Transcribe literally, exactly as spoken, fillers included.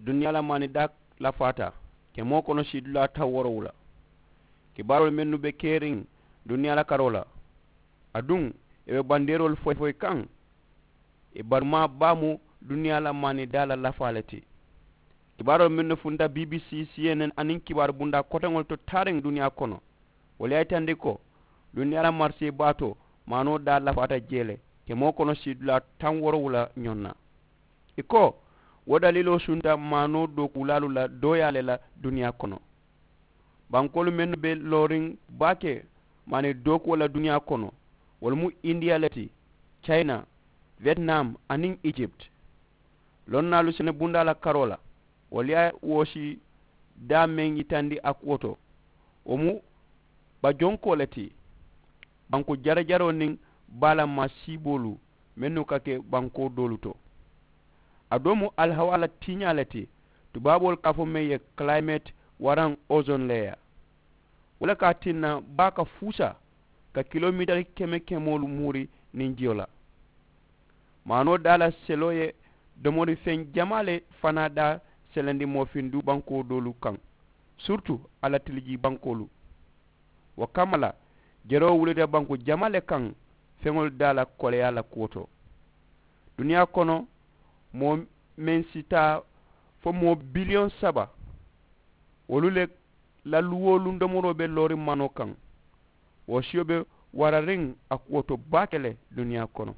Duniyaa la maanidaa lafaata ke moo kono siidulaa taŋ woorowula. Kibaaroolu mennu be keriŋ duniyaa la karoo la, aduŋ ì be bandeeroolu foyi foyi kaŋ. Ì barumaa baa mu duniyaa la maanidaa la lafaa le ti. Kibaaroolu mennu funta bbc, cnn aniŋ kibaaru bundaa koteŋolu to taariŋ duniyaa kono, wolu ye a yitandi ko duniyaa la marisee baatoo maanoo daa lafaata jee le ke moo kono siidulaa taŋ woorowula ñoŋ na. Ì ko wo daliiloo sunta maanoo dookuulaalu la dooyaa le la duniyaa kono. Bankoolu mennu be looriŋ baake maani dookuwo la duniyaa kono, wolu mu indiya le ti, cayina, vietnam aniŋ egypt. Lonnaalu sene bundaa la karoo la, wolu ye a woosi daa meŋ yitandi a kuwo to, wo mu bajonkoo le ti. Banku jarajaroo niŋ baa la maa siiboolu mennu ka ke bankoo doolu to. A doo mu alihawaa la tiiñaa le ti, tubaaboolu ka a fo meŋ ye climate waraŋ ozone leya. Wo le ka a tinna baa ka fuusa ka kilomitari keme kemoolu muuri niŋ jiyo la. Maanoo daa la seloo ye domori feŋ jamaa le fanaa daa selendi moofinduu bankoo doolu kaŋ, siritu a la tilijii bankoolu. Wo kamma la jeroo wulita banku jamaa le kaŋ feŋolu daa la koleyaa la kuwo to. Duniyaa kono moo meŋ si taa fo moo biliyoŋ saba, wolu le la luwoo luŋ domoroo be looriŋ maanoo kaŋ. Wo siyo be warariŋ a kuwo to baake le duniyaa kono.